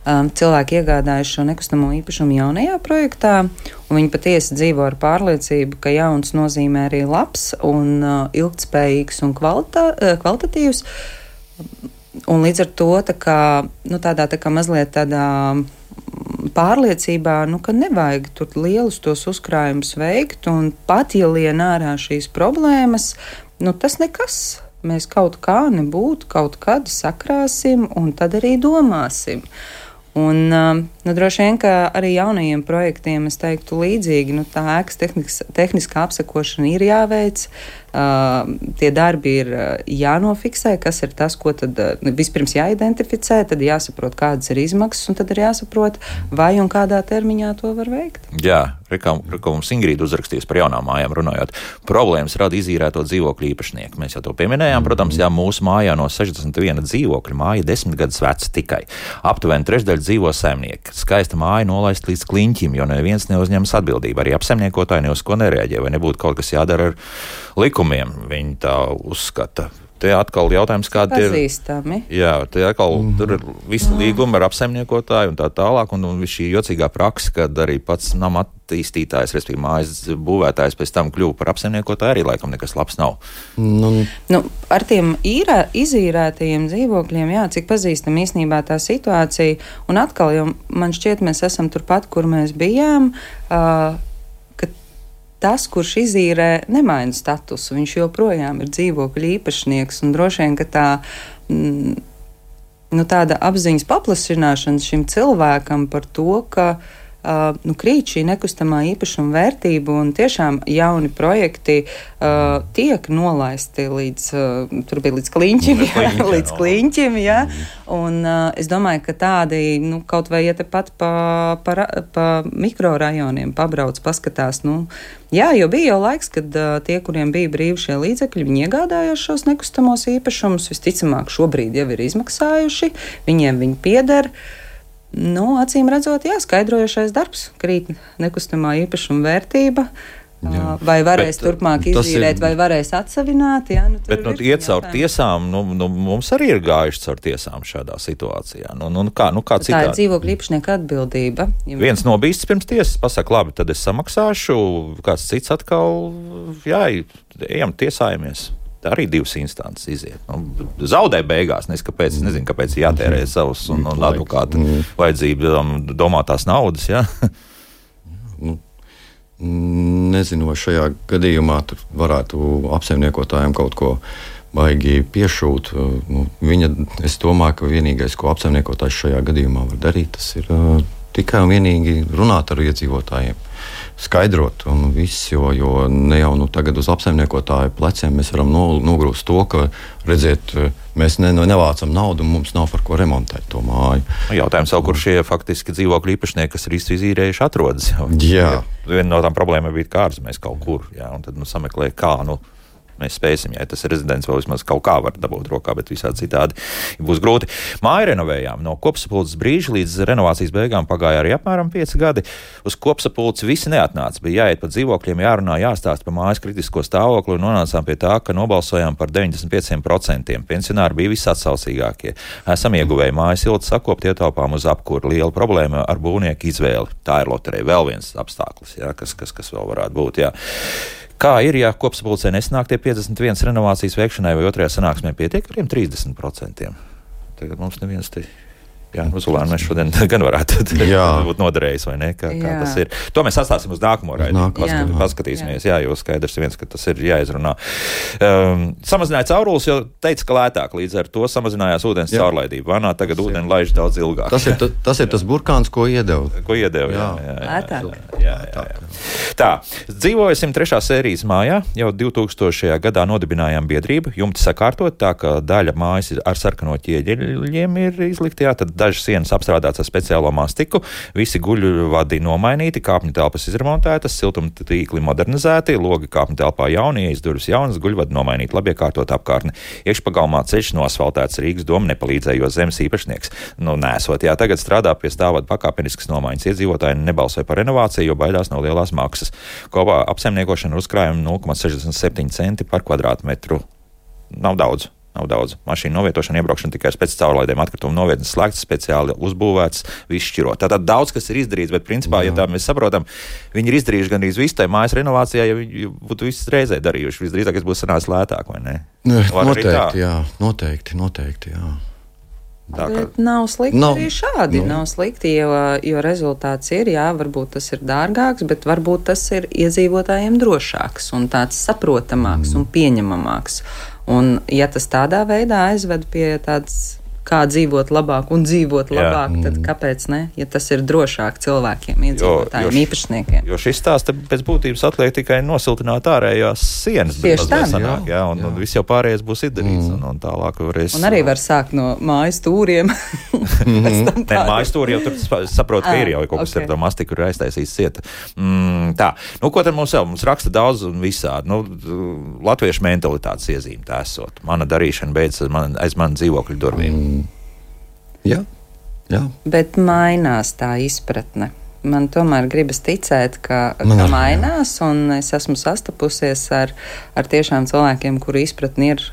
cilvēki iegādājuši šo nekustamo īpašumu jaunajā projektā, un viņi patiesi dzīvo ar pārliecību, ka jauns nozīmē arī labs un ilgtspējīgs un kvalitatīvs. Un līdz ar to tādā mazliet tādā pārliecībā, ka nevajag tur lielus tos uzkrājumus veikt, un pat ja lien ārā šīs problēmas, tas nekas. Mēs kaut kā nebūtu, kaut kad sakrāsim, un tad arī domāsim. Un, droši vien, ka arī jaunajiem projektiem, es teiktu, līdzīgi, tā ēkas tehniskā apsekošana ir jāveic, tie darbi ir jānofiksē, kas ir tas, ko tad vispirms jāidentificē, tad jāsaprot, kādas ir izmaksas, un tad ir jāsaprot, vai un kādā termiņā to var veikt. Jā, kā mums Ingrīda uzrakstījis par jaunām mājām runājot, problēmas rada izīrēto dzīvokļu īpašnieki. Mēs jau to pieminējām, protams, mūsu mājā no 61 dzīvokļu māja 10 gadus veca tikai. Aptuveni trešdaļa dzīvo saimnieki. Skaista māja nolaist līdz kliņķim, jo neviens neuzņemas atbildību. Arī apsaimniekotāji ne uz ko nereaģē, vai nebūtu kaut kas jādara ar likumiem. Viņi tā uzskata. Te atkal jautājums, kāda ir. Pazīstami. Jā, te atkal tur ir visi līgumi ar apsaimniekotāju un tā tālāk, un šī jocīgā praksa, kad arī pats nama attīstītājs, respektīvi mājas būvētājs pēc tam kļuva par apsaimniekotāju, arī laikam nekas labs nav. Ar tiem izīrētajiem dzīvokļiem, jā, cik pazīstam īstenībā tā situācija, un atkal jau man šķiet, mēs esam turpat, kur mēs bijām, tas, kurš izīrē, nemaina statusu. Viņš joprojām ir dzīvokļu īpašnieks, un droši vien, ka tāda apziņas paplašināšana šim cilvēkam par to, ka krīt šī nekustamā īpašuma vērtība, un tiešām jauni projekti tiek nolaisti līdz kliņķim, jā. Un es domāju, ka tādi, kaut vai tepat pa mikrorajoniem pabrauc, paskatās, jā, jo bija jau laiks, kad tie, kuriem bija brīvi šie līdzekļi, viņi iegādājās šos nekustamos īpašumus, visticamāk šobrīd jau ir izmaksājuši, viņiem viņi pieder. Acīm redzot, skaidrojošais darbs, krīt nekustamā īpašuma vērtība. Jā. Vai varēs turpmāk izīrēt, vai varēs atsavināt. Jā, bet iet caur tiesām, mums arī ir gājuši caur tiesām šādā situācijā. Kā citādi? Tā ir dzīvokļu īpašnieka atbildība. Viens nobīsts pirms tiesas pasaka, labi, tad es samaksāšu, kāds cits atkal, ejam tiesājamies. Tā arī divas instances iziet. Zaudē beigās, nezinu, kāpēc jātērē savus un advokāta vajadzību domātās naudas, jā? Nezinu, vai šajā gadījumā tur varētu apsaimniekotājiem kaut ko baigi piešūt. Es domāju, ka vienīgais, ko apsaimniekotājs šajā gadījumā var darīt, tas ir tikai un vienīgi runāt ar iedzīvotājiem. Skaidrot un viss, jo ne jau tagad uz apsaimniekotāju pleciem mēs varam nogrūst to, ka, redziet, mēs nevācam naudu un mums nav par ko remontēt to māju. Jautājums jau, kur šie faktiski dzīvokļu īpašnieki, kas ir izīrējuši, atrodas. Jā. Viena no tām problēmām bija, ka ārzemēs kaut kur, jā, un tad sameklē, kā, mēs spēsim, ja tas rezidents vēl vismaz kaut kā var dabūt rokā, bet visādi citādi būs grūti. Māju renovējām. No kopsapulces brīža līdz renovācijas beigām pagāja arī apmēram 5 gadi. Uz kopsapulci visi neatnāca. Bija jāiet pa dzīvokļiem, jārunā, jāstāst par mājas kritisko stāvokli un nonācām pie tā, ka nobalsojām par 95%. Pensionāri bija visatsaucīgākie. Esam ieguvēji mājas silti sakopt, ietaupām uz apkuru. Liela problēma ar būvnieku izvēli. Tā ir loterija. Vēl viens apstākļus, jā, kas vēl varētu būt. Jā. Kā ir, ja kopsapulcē nesanāk tie 51 renovācijas veikšanai vai otrajā sanāksmē pietiek ar 30%? Tagad mums neviens te... Jā, uz Ulānu mēs šodien gan varētu būt noderējis, vai ne? Kā tas ir. To mēs atstāsim uz nākamo raidījumu. Paskatīsimies, jo skaidrs viens, ka tas ir jāizrunā. Samazināja caurules, jo teica, ka lētāk, līdz ar to samazinājās ūdens caurlaidība. Vanā tagad ūdeni laiž daudz ilgāk. Tas ir tas burkāns, ko iedeva. Jā. Tā, dzīvoja 103. sērijas mājā, jau 2000. gadā nodibinājām biedrību, jumti sakārtot, tā ka daļa mājas ar sarkano ķieģeļiem ir izlikti, tad dažas sienas apstrādāts ar speciālo mastiku, visi guļvadi nomainīti, kāpņu telpas izremontētas, siltuma tīkli modernizēti, logi kāpņu telpā jauni, durvis jaunas, guļvadi nomainīti, labi iekārtot apkārtne. Iekšpagalmā ceļš nosfaltēts, Rīgas doma nepalīdzēja, jo zemes īpašnieks nesot. Jā, tagad strādā pie stāvvadu pakāpeniskas nomaiņas. Iedzīvotāji nebalsoja par renovāciju, jo baidās no lielās maksas. Kopā apsaimniekošana uzkrājuma 0,67 centi par kvadrātmetru. Nav daudz. Mašīnu novietošana, iebraukšana tikai pēc caurlaidēm, atkritumu novietnes slēgts, speciāli uzbūvēts, viss šķirot. Tātad daudz, kas ir izdarīts, bet principā, ja tā mēs saprotam, viņi ir izdarījuši gandrīz visu tai mājas renovācijā, ja viņi būtu visas reizē darījuši. Visdrīzāk, es būtu sanācis lētāk, vai ne? Noteikti, jā. Bet nav slikti arī šādi. Nav slikti, jo rezultāts ir, varbūt tas ir dārgāks, bet varbūt tas ir iedzīvotājiem drošāks un tāds saprotamāks un pieņemamāks. Un ja tas tādā veidā aizved pie tādas kā dzīvot labāk un dzīvot labāk, tad kāpēc ne? Ja tas ir drošāk cilvēkiem, iedzīvotājiem, īpašniekiem. Jo šis stāsts pēc būtības atliek tikai nosiltināt ārējās sienas. Tieši tā. Un viss jau pārējais būs izdarīts. Un tālāk varēs... Un arī var sākt no mājas stūriem. Mājas stūri jau tur saprot, ka ir jau kaut kas ar to mastiku ir aiztaisīts cieta. Tā. Ko tad mums jau? Mums raksta daudz un visādi. Latviešu mentalitātes iezīme tā esot. Mana darīšana beidz aiz man dzīvokļu durvīm. Jā. Bet mainās tā izpratne. Man tomēr gribas ticēt, ka mainās, un es esmu sastapusies ar tiešām cilvēkiem, kuru izpratni ir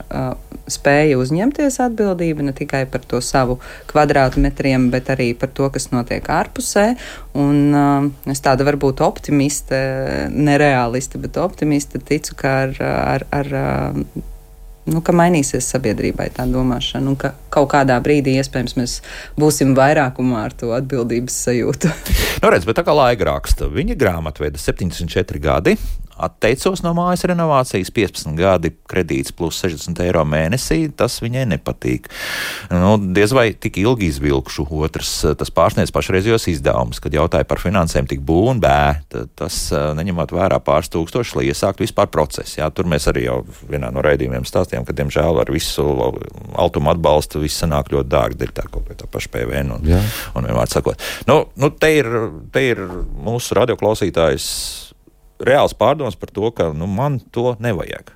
spēja uzņemties atbildību ne tikai par to savu kvadrātmetriem, bet arī par to, kas notiek ārpusē. Un es tāda varbūt optimiste, nerealiste, bet optimiste ticu, ka ka mainīsies sabiedrībai tā domāšana, un ka kaut kādā brīdī iespējams mēs būsim vairākumā ar to atbildības sajūtu. Redz, bet tā kā laika raksta, viņa grāmatveda 74 gadi, atteicos no mājas renovācijas, 15 gadi kredīts plus 60 eiro mēnesī, tas viņai nepatīk. Diez vai tik ilgi izvilkšu. Otrs, tas pārsniedz pašreizējos izdevumus, kad jautāja par finansēm tik bū un bē, tas neņemot vērā pāris tūkstoši, lai iesāktu vispār procesu. Tur mēs arī jau vienā no raidījumiem stāstījām, ka, diemžēl, ar visu altumu atbalstu viss sanāk ļoti dārgi, dēļ tā kaut kā tā paša PVN un vienmēr sakot. Te ir mūsu radioklausītājs reāls pārdoms par to, ka man to nevajag.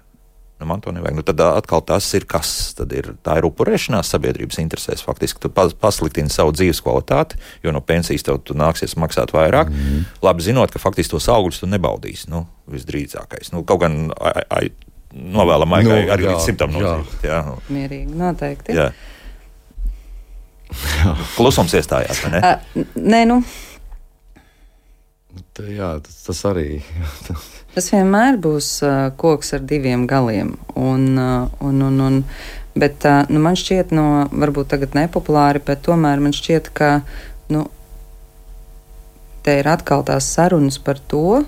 Tad atkal tas ir kas? Tā ir upurēšanās sabiedrības interesēs. Faktiski tu pasliktini savu dzīves kvalitāti, jo no pensijas tev nāksies maksāt vairāk. Labi zinot, ka faktiski tos augļus tu nebaudīsi. Visdrīzākais. Kaut gan novēlam arī līdz 100 nodzīvot. Mierīgi, noteikti. Jā. Klusums iestājās, vai ne? Nē, Jā, tas arī. Tas vienmēr būs koks ar diviem galiem. Bet man šķiet, varbūt tagad nepopulāri, bet tomēr man šķiet, ka te ir atkal tās sarunas par to,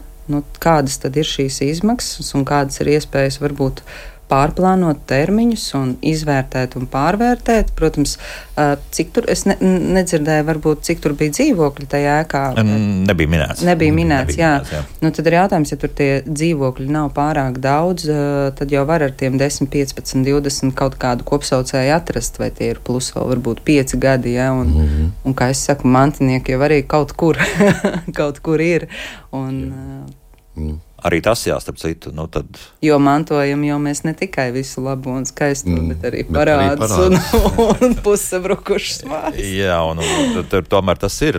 kādas tad ir šīs izmaksas un kādas ir iespējas varbūt pārplānot termiņus un izvērtēt un pārvērtēt. Protams, cik tur, es nedzirdēju, varbūt, cik tur bija dzīvokļi tajā ēkā. Nebija minēts, jā. Tad ir jautājums, ja tur tie dzīvokļi nav pārāk daudz, tad jau var ar tiem 10, 15, 20 kaut kādu kopsaucēju atrast, vai tie ir plus vēl varbūt 5 gadi, ja, un kā es saku, mantinieki jau arī kaut kur ir. Arī tas jāstarp citu. Jo mantojam jau mēs ne tikai visu labo un skaisto, bet arī parādus un pussabrukušas mājas. Jā, un tomēr tas ir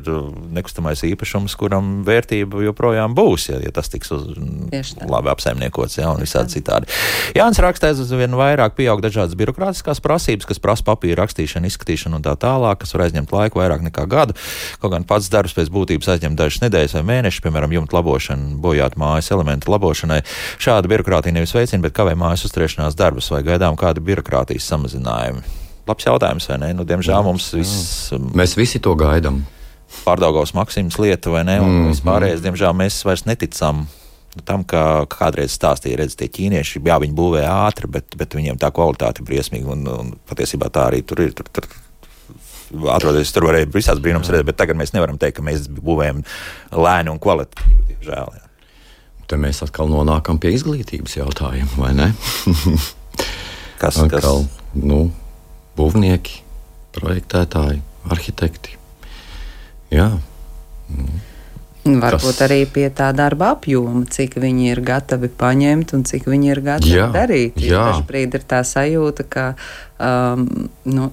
nekustamais īpašums, kuram vērtība joprojām būs, ja tas tiks labi apsaimniekots, un visādi citādi. Jānis raksta, aizvien vairāk pieaug dažādas birokrātiskās prasības, kas prasa papīra rakstīšanu, izskatīšanu un tā tālāk, kas var aizņemt laiku vairāk nekā gadu. Kaut gan pats darbs pēc būtības aizņem dažas nedēļas vai mēnešus, piemēram, jumta labošana, bojāt mājas elementu labošanai. Šāda birokrātija nevis veicina, bet kavē mājas uzturēšanās darbus, vai gaidām kādu birokrātijas samazinājumu. Labs jautājums, vai ne? Diemžēl mums viss... Mēs visi to gaidām. Pārdaugavas Maksimas lieta, vai ne? Un vispārējais, diemžēl, mēs vairs neticam tam, ka kādreiz stāstīja, redz, tie ķīnieši, viņi būvē ātri, bet viņiem tā kvalitāte ir briesmīga, un patiesībā tā arī tur ir. Atrodoties, tur varēja visās brīnums redzēt, bet tagad mēs nevaram teikt, ka mēs būvējam lēni un kvalitīvi, diemžēl. Te mēs atkal nonākam pie izglītības jautājuma, vai ne? Kas? Būvnieki, projektētāji, arhitekti. Jā. Varbūt arī pie tā darba apjoma, cik viņi ir gatavi paņemt un cik viņi ir gatavi darīt. Dažbrīd ir tā sajūta, ka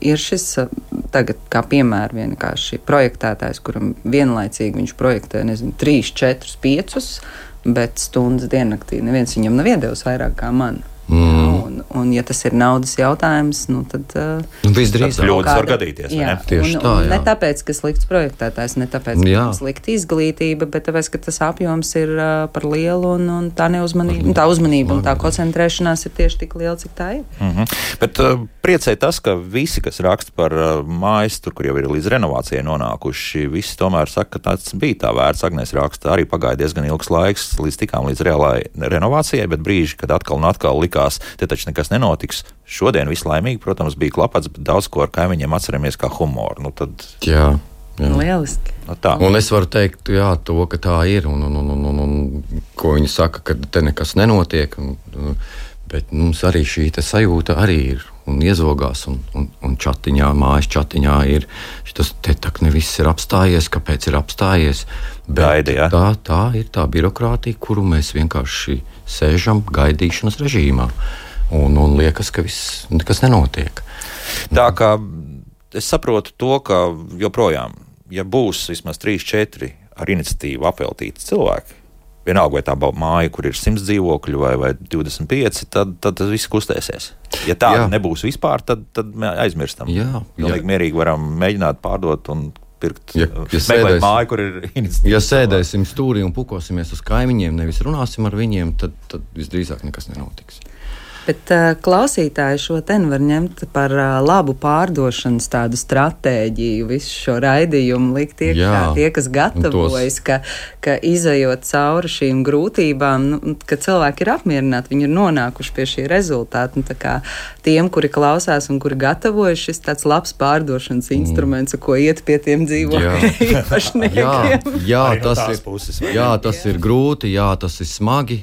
ir šis tagad, kā piemēra, vienkārši projektētājs, kuram vienlaicīgi viņš projektē, 3, 4, 5, bet stundas diennaktī neviens viņam nav iedevis vairāk kā man. Un, ja tas ir naudas jautājums, tad visdrīzāk kļūdas var gadīties. Jā, tieši tā. Jā. Ne tāpēc, ka slikts projektētājs, ne tāpēc, ka slikta izglītība, bet tāpēc, ka tas apjoms ir par lielu un tā neuzmanība, tā uzmanība un tā koncentrēšanās ir tieši tik liela, cik tā ir. Bet priecē tas, ka visi, kas raksta par mājas, tur, kur jau ir līdz renovācijai nonākuši, visi tomēr saka, ka tāds bija tā vērts. Agnēs raksta, arī pagāja diezgan ilgs laiks, līdz tikām līdz reālai renovācijai, bet brīži, kad atkal un atkal likās, te taču nekas nenotiks. Šodien vislaimīgi, protams, bija klapats, bet daudz ko ar kaimiņiem atceramies kā humoru. Tad... Jā. Lieliski. Un es varu teikt, to, ka tā ir, un ko viņi saka, ka te nekas nenotiek, bet mums arī šī sajūta arī ir, un iezogās, un čatiņā, mājas čatiņā ir, tas te tak neviss ir apstājies, kāpēc ir apstājies, bet Gaidi, ja? tā ir tā birokrātija, kuru mēs vienkārši sēžam gaidīšanas režīmā, un liekas, ka nekas nenotiek. Tā kā es saprotu to, ka joprojām, ja būs vismaz 3-4 ar iniciatīvu apveltīti cilvēki, vienalga vai tā māja, kur ir 100 dzīvokļu vai 25, tad tas viss kustēsies. Ja tā nebūs vispār, tad aizmirstam. Pilnīgi mierīgi varam mēģināt pārdot un pirkt, meklēt māju, kur ir iniciatīva. Ja sēdēsim stūrī un pukosimies uz kaimiņiem, nevis runāsim ar viņiem, tad visdrīzāk nekas nenotiks. Bet klausītāji šo var ņemt par labu pārdošanas tādu stratēģiju, visu šo raidījumu likt iekšā. Tie, kas gatavojas, ka izejot cauri šīm grūtībām, ka cilvēki ir apmierināti, viņi ir nonākuši pie šī rezultāta. Tā kā tiem, kuri klausās un kuri gatavojas, šis tāds labs pārdošanas instruments, ko iet pie tiem dzīvokļiem īpašniekiem. Tas ir grūti, tas ir smagi.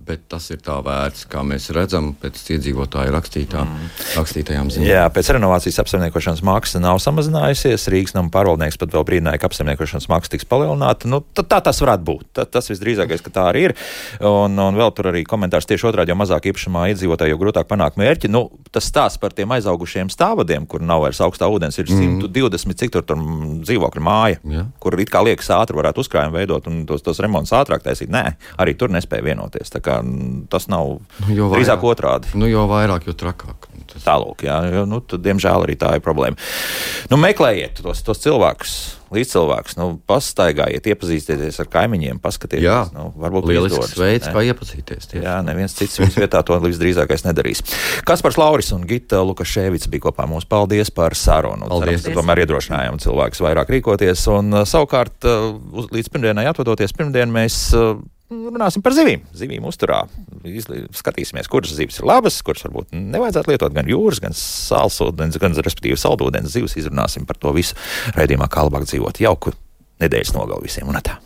Bet tas ir tā vērts, kā mēs redzam pēc iedzīvotāju rakstītajām ziņām. Jā, pēc renovācijas apsaimniekošanas maksa nav samazinājusies. Rīgas nama pārvaldnieks pat vēl brīdināja, ka apsaimniekošanas maksa tiks palielināta. Tā tas varētu būt. Tas visdrīzākais, ka tā arī ir. Un vēl tur arī komentārs tieši otrādi, jo mazāk īpašumā iedzīvotāji, jo grūtāk panākt mērķi. Tas stāsts par tiem aizaugušiem stāvadiem, kur nav vairs augstā ūdens, ir 120, cik tur dzīvokļu māja, kur it kā liekas ātri varētu uzkrājumu veidot un tos remontus ātrāk taisīt. Nē, arī tur nespēja vienoties. Tas nav drīzāk otrādi. Jo vairāk, jo trakāk. Tālūk, tad, diemžēl, arī tā ir problēma. Meklējiet tos cilvēkus, līdzcilvēkus, pastaigājiet, iepazīstieties ar kaimiņiem, paskatieties. Varbūt lielisks veids, kā iepazīties. Neviens cits viņas vietā to visdrīzākais nedarīs. Kaspars Lauris un Gita Lukaševica bija kopā mums. Paldies par sarunu. Cerams, ka tomēr iedrošinājām cilvēkus vairāk rīkoties. Un savukārt, līdz pirmdienai atvadoties, pirmdien mēs runāsim par zivīm. Zivīm uzturā. Skatīsimies, kuras zivis ir labas, kuras varbūt nevajadzētu lietot gan jūras, gan sālsūdens, gan respektīvi saldūdens zivis. Izrunāsim par to visu raidījumā Kā labāk dzīvot. Jauku nedēļas nogalu visiem un tā.